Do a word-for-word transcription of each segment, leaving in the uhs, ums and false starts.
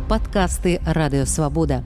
Падкасты Радыёвабода.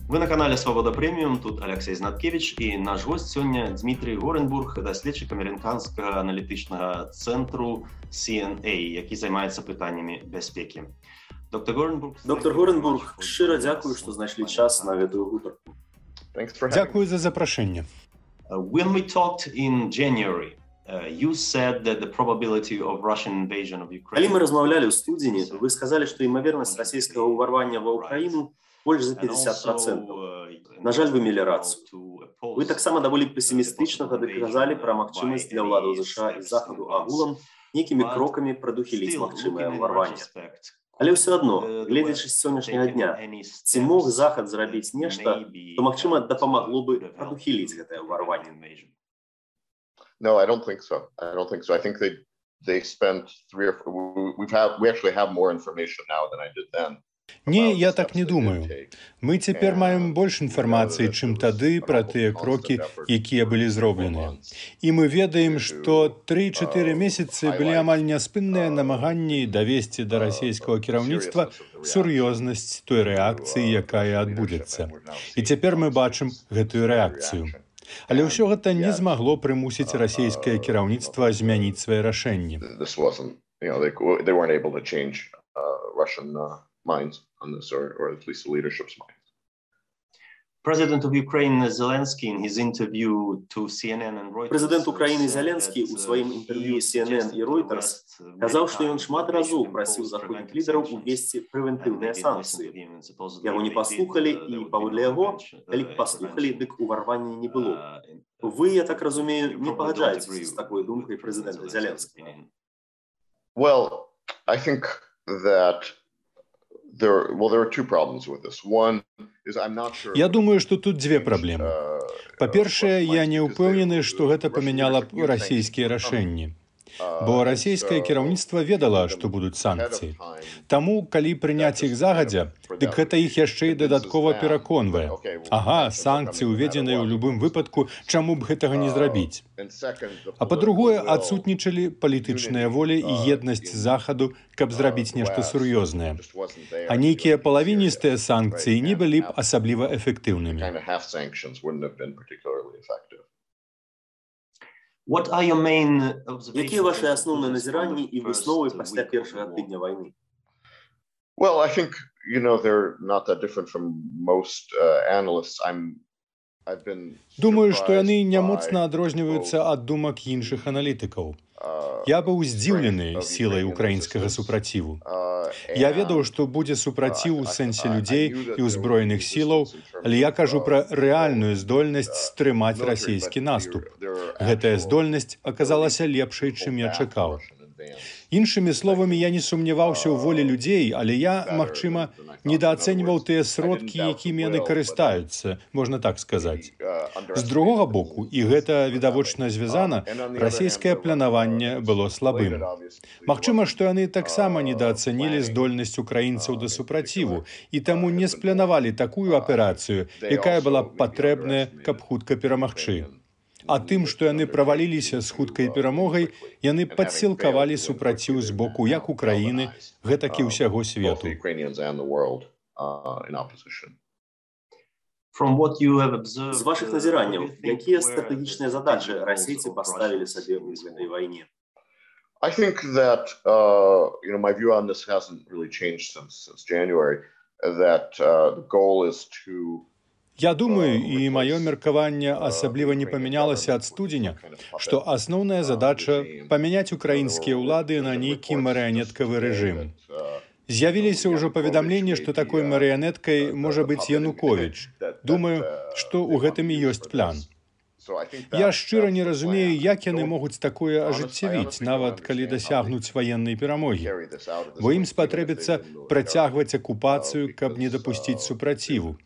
Вы на канале Свобода Преміум, тут Алексей Знаткевич і наш гость сёння Дмітрий Горенбург, даследчык амерыканскага аналітычнага цэнтру Сі Ен Ей, які займаецца пытаннямі бяспекі. Доктор Горенбург, Доктор Горенбург, шчыра дзякую, што знайшлі час на гэтую гутарку. Дзякую за запрашэнне. When we talked in January, uh, you said that the probability of Russian invasion of Ukraine... Калі мы размаўлялі ў студзені, вы сказалі, што імавернасць расійскага ўварвання ва Ўкраіну больш за пятьдесят процентов. На жаль, вы мелі рацыю. Вы таксама даволі песімістычна тады казалі пра магчымасць для ўладаў ЗША і Захаду агулам нейкімі крокамі прадухіліць магчымае ўварванне. Але ўсё адно, гледзячы з сённяшняга дня, ці мог Захад зрабіць нешта, то, магчыма, дапамагло бы прадухіліць гэтае ўварванне? No, I don't think so. I don't think so. I think they they spent three or four, we've had we actually have more information now than I did then. Не, я так не думаю. Мы цяпер маем больш інфармацыі, чым тады пра тыя крокі, якія былі зробленыя. І мы ведаем, што тры-чатыры месяцы былі амаль няспынныя намаганні давесці да расійскага кіраўніцтва сур'ёзнасць той рэакцыі, якая адбудзецца. І цяпер мы бачым гэтую рэакцыю. Але ўсё гэта не змагло прымусіць расійскае кіраўніцтва змяніць свае рашэнні. minds on this, or, or at least the leadership's minds. President of Ukraine Zelensky in his interview to Сі Ен Ен and Reuters. Президент Украіны Зеленскі ў сваім інтэрв'ю Сі Ен Ен і Reuters казаў, што ён шмат разоў прасіў заходніх лідараў увесці прэвентыўныя санкцыі. Яго не паслухалі, і паводле яго, калі б паслухалі, дык уварвання не было. Вы, я так разумею, не пагаджаецеся з такой думкай прэзідэнта Зеленскага? Well, I think that There, well, there are two problems with this. One is I'm not sure. Я думаю, што тут дзве праблемы. Па-першае, я не ўпэўнены, што гэта памяняла б расійскія рашэнні. Бо расійскае кіраўніцтва ведала, што будуць санкцыі. Таму, калі прыняць іх загадзя, дык гэта іх яшчэ і дадаткова пераконвае. Ага, санкцыі ўведзеныя ў любым выпадку, чаму б гэтага не зрабіць? А па-другое, адсутнічалі палітычная воля і еднасць Захаду, каб зрабіць нешта сур'ёзнае. А нейкія палавіністыя санкцыі не былі б асабліва эфектыўнымі. What are your main observations? Якія ваші асноўныя назіранні і высновы пасля першага тыдня вайны? Well, I think, you know, they're not that different from most uh, analysts. I'm I've been Думаю, што яны не моцна адрозніваюцца ад думак іншых аналітыкаў. Я быў здзіўлены сілай украінскага супраціву. Я ведаў, што будзе супраціў у сэнсе людзей і ўзброеных сілаў, але я кажу пра рэальную здольнасць стрымаць расійскі наступ. Гэтая здольнасць аказалася лепшай, чым я чакаў. Іншымі словамі, я не сумняваўся ў волі людзей, але я, магчыма, недаацэньваў тыя сродкі, якімі яны карыстаюцца, можна так сказаць. З другога боку, і гэта відавочна звязана, расійскае планаванне было слабым. Магчыма, што яны таксама недаацэнілі здольнасць украінцаў да супраціву і таму не спланавалі такую аперацыю, якая была б патрэбная, каб хутка перамагчы. А тым, што яны праваліліся з хуткай перамогай, яны падсілкавалі супраціў з боку як Украіны, гэтак і ўсяго свету. З вашых назіранняў, якія стратэгічныя задачы расійцы паставілі сабе ў гэтай вайне? I think that, uh, you know, my view on this hasn't really changed since, since January, that uh, the goal is to Я думаю, і маё меркаванне асабліва не памянялася ад студзеня, што асноўная задача памяняць украінскія ўлады на нейкі марыянеткавы рэжым. З'явіліся ўжо паведамленні, што такой марыянеткай можа быць Януковіч. Думаю, што ў гэтым і ёсць план. Я шчыра не разумею, як яны могуць такое ажыццявіць, нават калі дасягнуць ваеннай перамогі. Бо ім спатрэбіцца працягваць акупацыю, каб не дапусціць супраціву.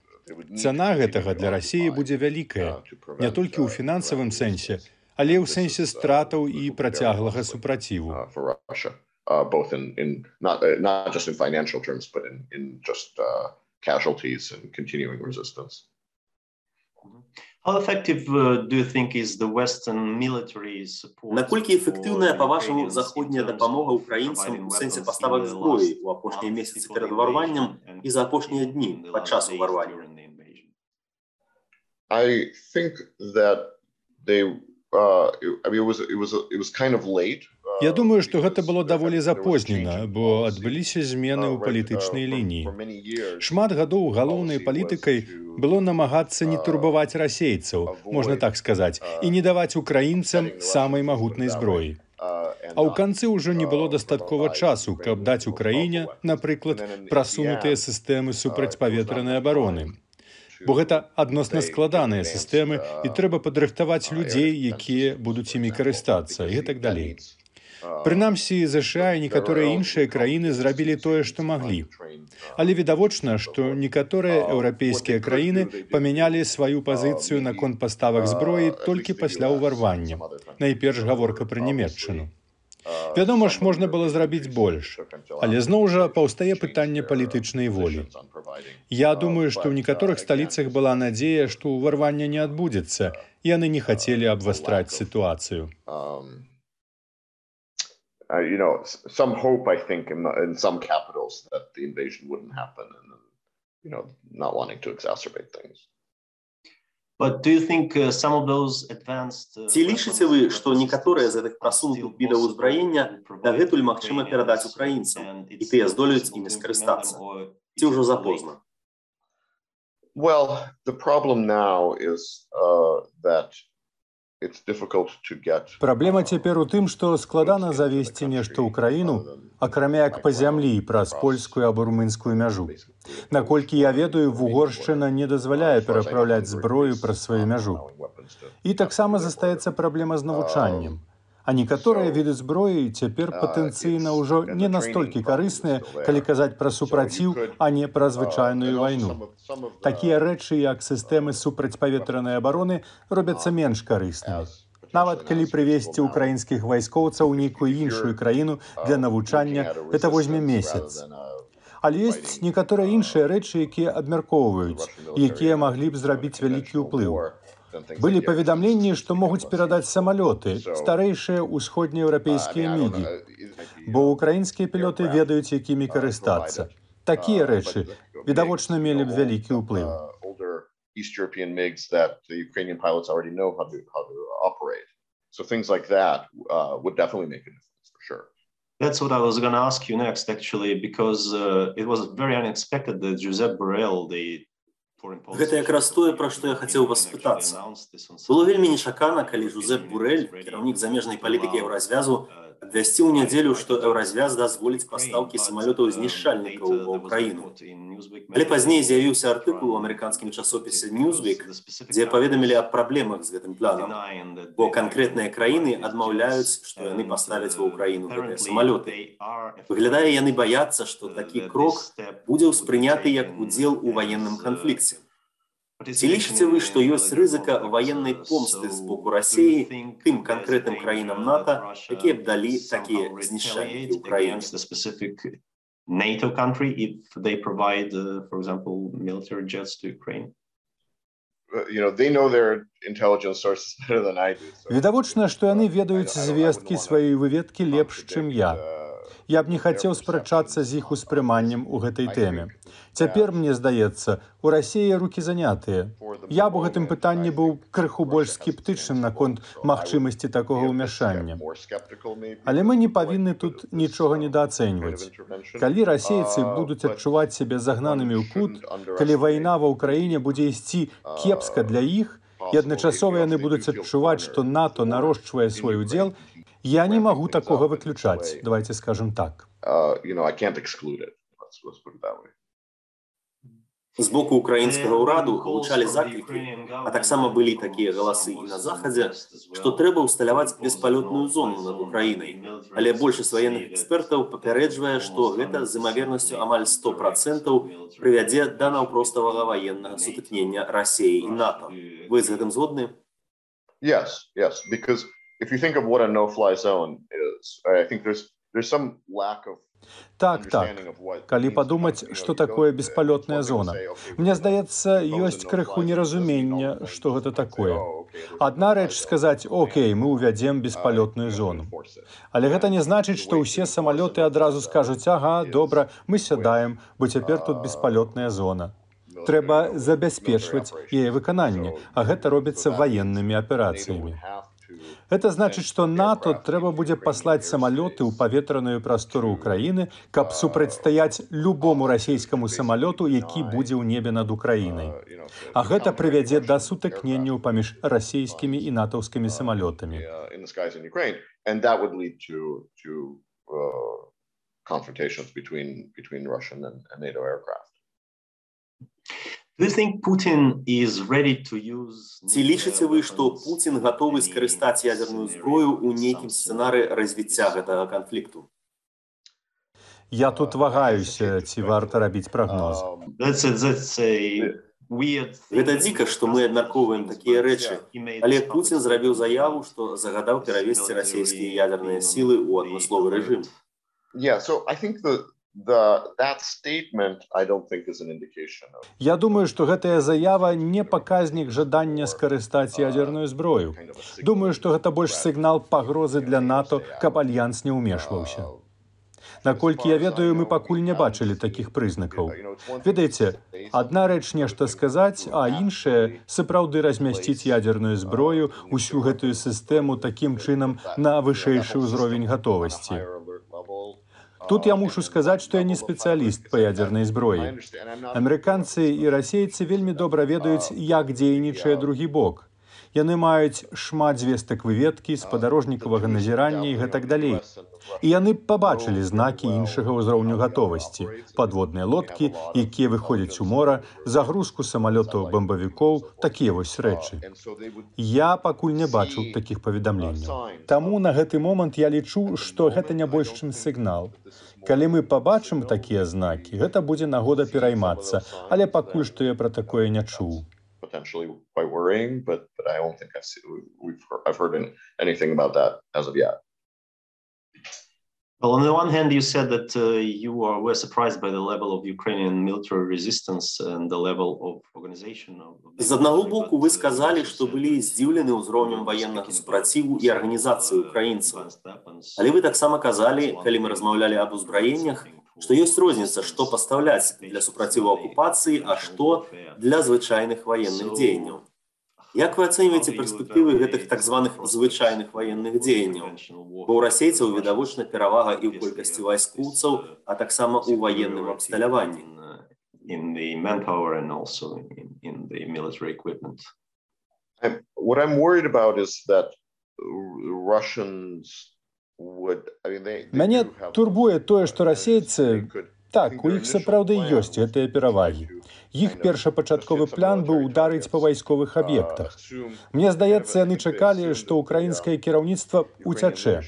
Цана гэтага для Расіі будзе вялікая, не толькі ў фінансавым сэнсе, але ў сэнсе стратаў і працяглага супраціву. Both in, in not, uh, not just in financial terms, but in, in just uh, casualties and continuing resistance. Наколькі эфектыўная, па-вашаму, заходняя дапамога ўкраінцам у сэнсе паставак зброі ў апошнія месяцы перад уварваннем і за апошнія дні падчас уварвання? I think that they, uh, I mean, it was, it was, it was kind of late. Я думаю, што гэта было даволі запознена, бо адбыліся змены ў палітычнай лініі. Шмат гадоў галоўнай палітыкай было намагацца не турбаваць расейцаў, можна так сказаць, і не даваць украінцам самай магутнай зброі. А ў канцы ўжо не было дастаткова часу, каб даць Украіне, напрыклад, прасунутыя сістэмы супрацьпаветранай абароны. Бо гэта адносна складаныя сістэмы, і трэба падрыхтаваць людзей, якія будуць імі карыстацца, і гэтак далей. Прынамсі, ЗША і некаторыя іншыя краіны зрабілі тое, што маглі. Але відавочна, што некаторыя еўрапейскія краіны памянялі сваю пазіцыю наконт паставак зброі толькі пасля ўварвання. Найперш гаворка пра Нямецчыну. Вядома ж, можна было зрабіць больш, але зноў жа паўстае пытанне палітычнай волі. Я думаю, што ў некаторых сталіцах была надзея, што ўварвання не адбудзецца, яны не хацелі абвастраць сітуацыю. Uh, you know, some hope, I think, in, in some capitals that the invasion wouldn't happen, and you know, not wanting to exacerbate things. But do you think uh, some of those advanced? Ці лічыце вы, што некаторыя з гэтых прасунутых відаў узбраення дагэтуль магчыма перадаць украінцам, і тыя здолеюць імі скарыстацца? Ці ўжо запозна? Well, the problem now is uh, that Праблема цяпер у тым, што складана завесці нешта ў краіну, акрамя як па зямлі праз польскую або румынскую мяжу. Наколькі я ведаю, Вугоршчына не дазваляе перапраўляць зброю праз сваю мяжу. І таксама застаецца праблема з навучаннем. А некаторыя віды зброі цяпер патэнцыйна ўжо не настолькі карысныя, калі казаць пра супраціў, а не пра звычайную вайну. Такія рэчы, як сістэмы супрацьпаветранай абароны, робяцца менш карыснымі. Нават калі прывезці ўкраінскіх вайскоўцаў у нейкую іншую краіну для навучання, гэта возьме месяц. Але ёсць некаторыя іншыя рэчы, якія абмяркоўваюць, якія маглі б зрабіць вялікі ўплыў. Былі паведамленні, што могуць перадаць самалёты, старэйшыя ўсходнееўрапейскія мігі, бо ўкраінскія пілоты ведаюць, якімі карыстацца. Такія рэчы, відавочна, мелі б вялікі ўплыў. That's what I was going to ask you next, actually, because uh, it was very unexpected that Josep Borrell, the Гэта якраз тое, пра што я хацеў вас спытацца. Было вельмі нечакана, калі Жозеп Боррель, кіраўнік замежнай палітыкі еўразвязу, абвясціў у нядзелю, што еўразвяз дазволіць пастаўкі самалётаў-знішчальнікаў ва ўкраіну. Але пазней з'явіўся артыкул у амерыканскім часопісе Newsweek, дзе паведамілі аб праблемах з гэтым планам, бо канкрэтныя краіны адмаўляюць, што яны паставяць ва ўкраіну гэтыя самалёты. Выглядае, яны баяцца, што такі крок будзе ўспрыняты як удзел у ваенным канфлікце. Ці лічыце вы, што ёсць рызыка ваеннай помсты з боку Расіі тым канкрэтным краінам НАТО, якія б далі такія знішчальнікі ўкраіны? NATO country if they provide, uh, for example, military jets to Ukraine? You know, they know their intelligence sources better than I do. Відавочна, што яны ведаюць звесткі сваёй выведкі лепш, чым я. Я б не хацеў спрачацца з іх успрыманнем у гэтай тэме. Цяпер, мне здаецца, у Расіі рукі занятыя. Я б у гэтым пытанні быў крыху больш скептычным наконт магчымасці такога ўмяшання. Але мы не павінны тут нічога недаацэньваць. Калі расейцы будуць адчуваць сябе загнанымі ў кут, калі вайна ва ўкраіне будзе ісці кепска для іх, і адначасова яны будуць адчуваць, што НАТО нарошчвае свой удзел, я не магу такога выключаць, давайте скажем так. З боку украінскага ўраду гучалі заклікі, а таксама былі такія галасы і на Захадзе, што трэба ўсталяваць беспалётную зону над Украінай. Але большасць ваенных экспертаў папярэджвае, што гэта з імавернасцю амаль сто процентаў прывядзе да наўпроставага ваеннага сутыкнення Расіі і НАТО. Вы з гэтым згодны? Yes, yes, because if you think of what a no-fly zone is, I think there's there's some lack of Так, так. Калі падумаць, што такое беспалётная зона. Мне здаецца, ёсць крыху неразумення, што гэта такое. Адна рэч сказаць: «Окей, мы ўвядзем беспалётную зону». Але гэта не значыць, што ўсе самалёты адразу скажуць: «Ага, добра, мы сядаем, бо цяпер тут беспалётная зона». Трэба забяспечваць яе выкананне, а гэта робіцца ваеннымі аперацыямі. Гэта значыць, што НАТО трэба будзе паслаць самалёты ў паветраную прастору ўкраіны, каб супрацьстаяць любому расійскаму самалёту, які будзе ў небе над Украінай. А гэта прывядзе да сутыкненняў паміж расійскімі і натаўскімі самалётамі. Ці лічыце вы, што Пуцін гатовы скарыстаць ядерную зброю ў нейкім сцэнары развіцця гэтага канфлікту? Я тут вагаюся, ці варта рабіць прагноз. Гэта дзіка, што мы абмяркоўваем такія рэчы, але Пуцін зрабіў заяву, што загадаў перавесці расійскія ядерныя сілы ў адмысловы рэжым. Я думаю, што гэтая заява не паказнік жадання скарыстаць ядерную зброю. Думаю, што гэта больш сігнал пагрозы для НАТО, каб альянс не ўмешваўся. Наколькі я ведаю, мы пакуль не бачылі такіх прызнакаў. Ведаеце, адна рэч нешта сказаць, а іншая сапраўды размясціць ядерную зброю, усю гэтую сістэму такім чынам на вышэйшы ўзровень гатовасці. Тут я мушу сказаць, што я не спецыяліст па ядернай зброі. Амерыканцы і расейцы вельмі добра ведаюць, як дзейнічае другі бок. Яны маюць шмат звестак выведкі, спадарожнікавага назірання і гэтак далей. І яны пабачылі знакі іншага ўзроўню гатовасці, падводныя лодкі, якія выходзяць у мора, загрузку самалётаў-бамбавікоў, такія вось рэчы. Я пакуль не бачыў такіх паведамленняў. Таму на гэты момант я лічу, што гэта не больш чым сігнал. Калі мы пабачым такія знакі, гэта будзе нагода пераймацца, але пакуль што я пра такое не чуў. Potentially quite worrying, but, but I don't think I've, seen, we've, I've heard anything about that as of yet. Well, on the one hand, you said that uh, you are, were surprised by the level of Ukrainian military resistance and the level of organization. З аднаго боку, вы сказалі, што былі здзіўлены ўзроўнем ваеннага супраціву і арганізацыі украінцаў. Але вы таксама казалі, калі мы размаўлялі аб узбраеннях, што ёсць розніца, што пастаўляць для супраціву акупацыі, а што для звычайных ваенных дзеянняў. Як вы ацэньваеце перспектывы гэтых так званых звычайных ваенных дзеянняў? Бо ў расейцаў відавочна перавага і ў колькасці вайскоўцаў, а таксама ў ваенным абсталяванні. What I'm worried about is that Russians would, I mean, they, they Мяне турбуе тое, што расейцы, так, у іх сапраўды ёсць гэтыя перавагі. Іх першапачатковы план быў ударыць па вайсковых аб'ектах. Мне здаецца, яны чакалі, што ўкраінскае кіраўніцтва уцячэ.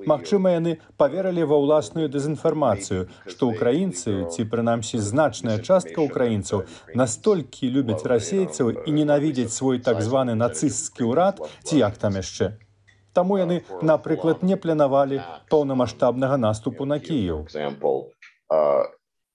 Магчыма, яны паверылі ва ўласную дэзінфармацыю, што ўкраінцы, ці прынамсі значная частка ўкраінцаў, настолькі любяць расейцаў і ненавідзяць свой так званы нацысцкі ўрад, ці як там яшчэ. Таму яны, напрыклад, не планавалі паўнамаштабнага наступу на Кіеў.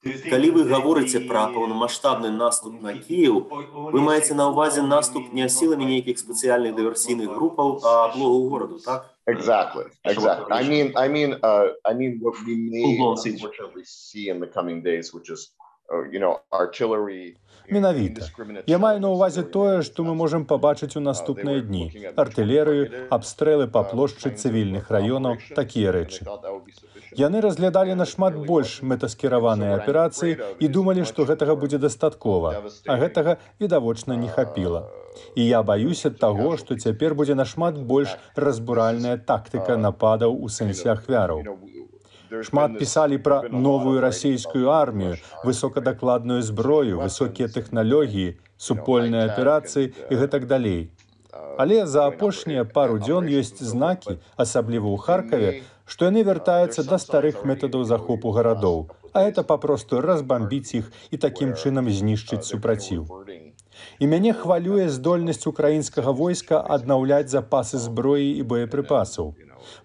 Калі вы гаворыце пра паўнамаштабны наступ на Кіеў, вы маеце на ўвазе наступ не сіламі нейкіх спецыяльных дыверсійных групаў, а аблогу гораду, так? Exactly, exactly. I mean, I mean, uh, I mean, what we may unfortunately see in the coming days, which is, uh, you know, artillery. Менавіта. Я маю на ўвазе тое, што мы можам пабачыць у наступныя дні. Артылерыю, абстрэлы па плошчы цывільных раёнаў, такія рэчы. Яны разглядалі нашмат больш мэтаскіраваныя аперацыі і думалі, што гэтага будзе дастаткова, а гэтага, відавочна, не хапіла. І я баюся таго, што цяпер будзе нашмат больш разбуральная тактыка нападаў у сэнсе ахвяраў. Шмат пісалі пра новую расійскую армію, высокадакладную зброю, высокія тэхналогіі, супольныя аперацыі і гэтак далей. Але за апошнія пару дзён ёсць знакі, асабліва ў Харкаве, што яны вяртаюцца да старых метадаў захопу гарадоў, а гэта папросту разбамбіць іх і такім чынам знішчыць супраціў. І мяне хвалюе здольнасць украінскага войска аднаўляць запасы зброі і боепрыпасаў.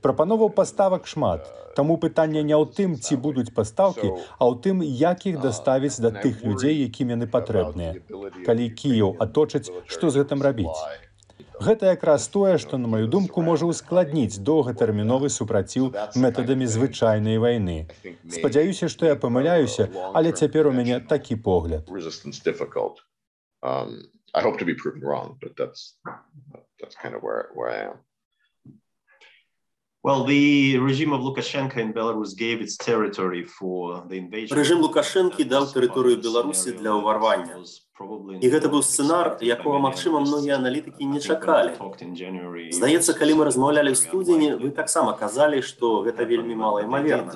Прапановаў паставак шмат, таму пытанне не ў тым, ці будуць пастаўкі, а ў тым, як іх даставіць да тых людзей, якім яны патрэбныя. Калі Кіеў аточаць, што з гэтым рабіць? Гэта якраз тое, што, на маю думку, можа ўскладніць доўгатэрміновы супраціў метадамі звычайнай вайны. Спадзяюся, што я памыляюся, але цяпер у мяне такі погляд. I hope to be proven wrong, but that's that's kind of where where I am. Well, the regime of Lukashenko in Belarus gave its territory for the invasion. Рэжым Лукашэнкі даў тэрыторыю Беларусі для ўварвання. І гэта быў сцэнар, якога, магчыма, многія аналітыкі не чакалі. Здаецца, калі мы размаўлялі ў студзені, вы таксама казалі, што гэта вельмі малаімаверна.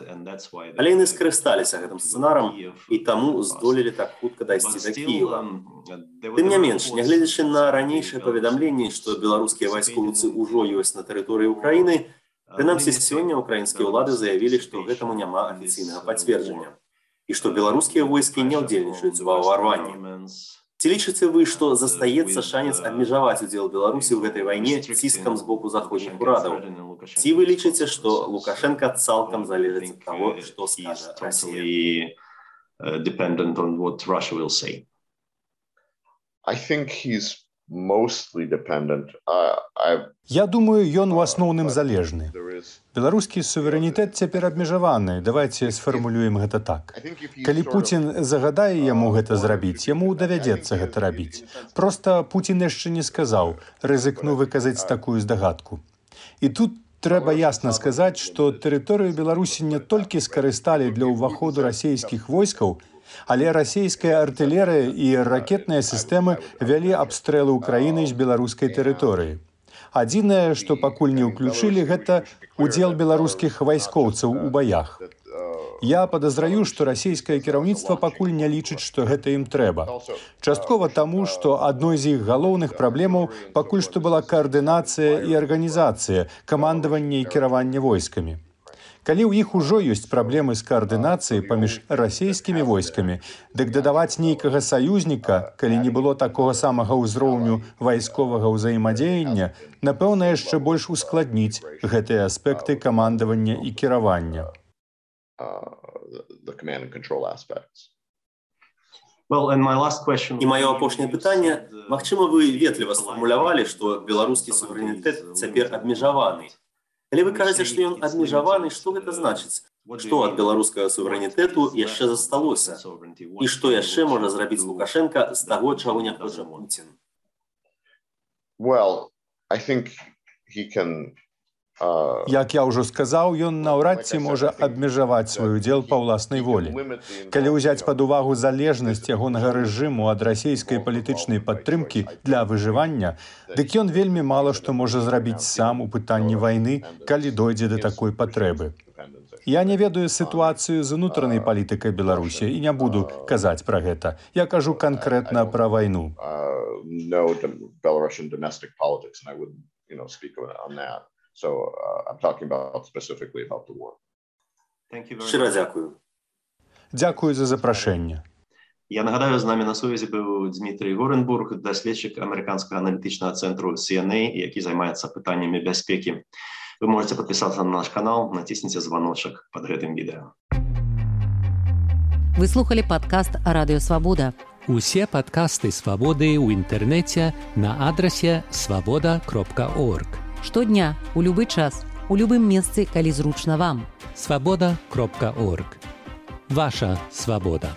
Але яны скарысталіся гэтым сцэнарам і таму здолелі так хутка дайсці да Кіева. Тым не менш, нягледзячы на ранейшыя паведамленні, што беларускія вайскоўцы ўжо ёсць на тэрыторыі Украіны, прынамсі сёння украінскія ўлады заявілі, што гэтаму няма афіцыйнага пацверджання і што беларускія войскі не ўдзельнічаюць ва ўварванні. Ці лічыце вы, што застаецца шанец абмежаваць удзел Беларусі ў гэтай вайне ціскам з боку заходніх урадаў? Ці вы лічыце, што Лукашенка цалкам залежыць ад таго, што скажа Расія? I think he's mostly dependent. Uh, I... Я думаю, ён у асноўным залежны. Беларускі суверэнітэт цяпер абмежаваны. Давайце сфармулюем гэта так. Калі Пуцін загадае яму гэта зрабіць, яму давядзецца гэта рабіць. Проста Пуцін яшчэ не сказаў, рызыкну выказаць такую здагадку. І тут трэба ясна сказаць, што тэрыторыю Беларусі не толькі скарысталі для ўваходу расійскіх войскаў, але расійская артылерыя і ракетныя сістэмы вялі абстрэлы ўкраіны з беларускай тэрыторыі. Адзінае, што пакуль не ўключылі, гэта удзел беларускіх вайскоўцаў у баях. Я падазраю, што расійскае кіраўніцтва пакуль не лічыць, што гэта ім трэба. Часткова таму, што адной з іх галоўных праблемаў пакуль што была каардынацыя і арганізацыя, камандаванне і кіраванне войскамі. Калі ў іх ужо ёсць праблемы з каардынацыяй паміж расійскімі войскамі, дык дадаваць нейкага саюзніка, калі не было такога самага ўзроўню вайсковага ўзаемадзеяння, напэўна, яшчэ больш ускладніць гэтыя аспекты камандавання і кіравання. І маё апошняе пытанне, магчыма, вы ветліва сфармулявалі, што беларускі суверэнітэт цяпер абмежаваны. Калі вы кажаце, што ён абмежаваны, што гэта значыць? Што ад беларускага суверэнітэту яшчэ засталося? І што яшчэ можа зрабіць Лукашенка з таго, чаго не хоча Пуцін? Well, I think he can... Як я ўжо сказаў, ён наўрад ці можа абмежаваць свой удзел па ўласнай волі. Калі ўзяць пад увагу залежнасць ягонага рэжыму ад расійскай палітычнай падтрымкі для выжывання, дык ён вельмі мала што можа зрабіць сам у пытанні вайны, калі дойдзе да такой патрэбы. Я не ведаю сітуацыю з унутранай палітыкай Беларусі і не буду казаць пра гэта. Я кажу канкрэтна пра вайну. So uh, I'm talking about specifically about the war. Щиро дякую. Дякую за запрашэнне. Я нагадаю, з намі на сувязі быў Дмітрый Горенбург, даследчык амерыканскага аналітычнага цэнтру Си Эн Эй, які займаецца пытаннямі бяспекі. Вы можете подписаться на наш канал, націсніце званочак под гэтым відэа. Вы слухали падкаст Радыё Свабода. Усе падкасты Свабоды ў інтэрнэце на адрасе свабода кропка орг. Штодня, у любы час, у любым месцы, калі зручна вам. свабода кропка орг. Ваша свабода.